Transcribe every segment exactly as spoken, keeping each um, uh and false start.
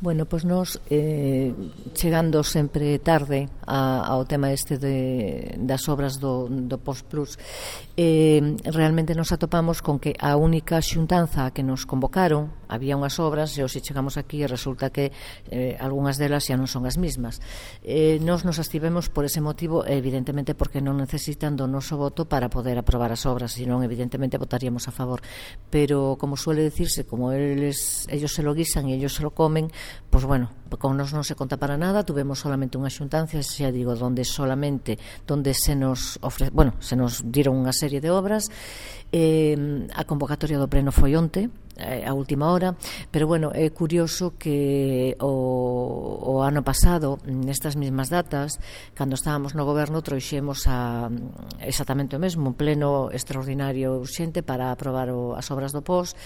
Bueno, pois nos eh, chegando sempre tarde a, ao tema este de, das obras do, do Post Plus, eh, realmente nos atopamos con que a única xuntanza a que nos convocaron, había unhas obras e hoxe chegamos aquí e resulta que eh, algunhas delas xa non son as mismas. Eh, nos nos abstivemos por ese motivo, evidentemente porque non necesitan do noso voto para poder aprobar as obras, senón evidentemente votaríamos a favor, pero como suele decirse, como eles, ellos se lo guisan e ellos se lo comen, pois bueno, con nos non se conta para nada. Tuvemos solamente unha xuntancia, xa digo, donde solamente donde se nos ofre, bueno, se nos dieron unha serie de obras. Eh, a convocatoria do pleno foi onte, eh, a última hora, pero bueno, é curioso que o, o ano pasado, nestas mesmas datas, cando estábamos no goberno, trouxemos a, exactamente o mesmo, un pleno extraordinario urxente para aprobar o, as obras do P O S,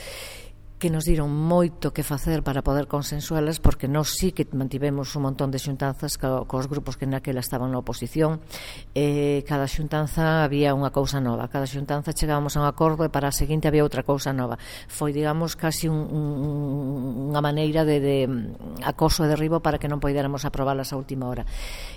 que nos diron moito que facer para poder consensualas, porque nós sí que mantivemos un montón de xuntanzas co, cos grupos que naquela estaban na oposición. Eh, cada xuntanza había unha cousa nova, cada xuntanza chegábamos a un acordo e para a seguinte había outra cousa nova. Foi, digamos, casi un, un, unha maneira de, de acoso e derribo para que non poidéramos aprobalas a última hora.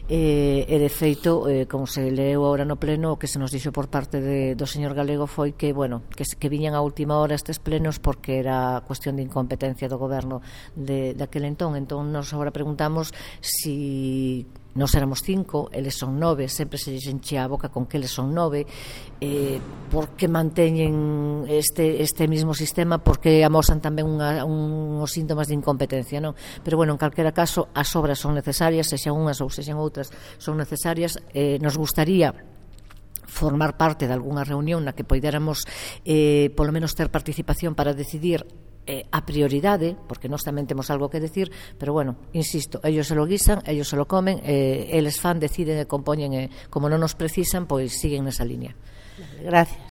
Eh, e de feito, eh, como se leu agora no pleno, o que se nos dixo por parte de, do señor Galego foi que, bueno, que, que viñan a última hora estes plenos porque era a cuestión de incompetencia do goberno de, de aquel entón. Entón nos agora preguntamos si nos éramos cinco, eles son nove, sempre se lles enchea a boca con que eles son nove, eh, por que manteñen este, este mismo sistema, porque amosan tamén unha, uns síntomas de incompetencia, non? Pero bueno, en calquera caso as obras son necesarias, sexan unhas ou sexan outras, son necesarias. Eh, nos gustaría formar parte de algunha reunión na que poidéramos eh, polo menos ter participación para decidir eh, a prioridade, porque nós tamén temos algo que decir, pero bueno, insisto, ellos se lo guisan, ellos se lo comen, eh, eles fan, deciden e compoñen, e como non nos precisan, pois siguen nesa línea. Gracias.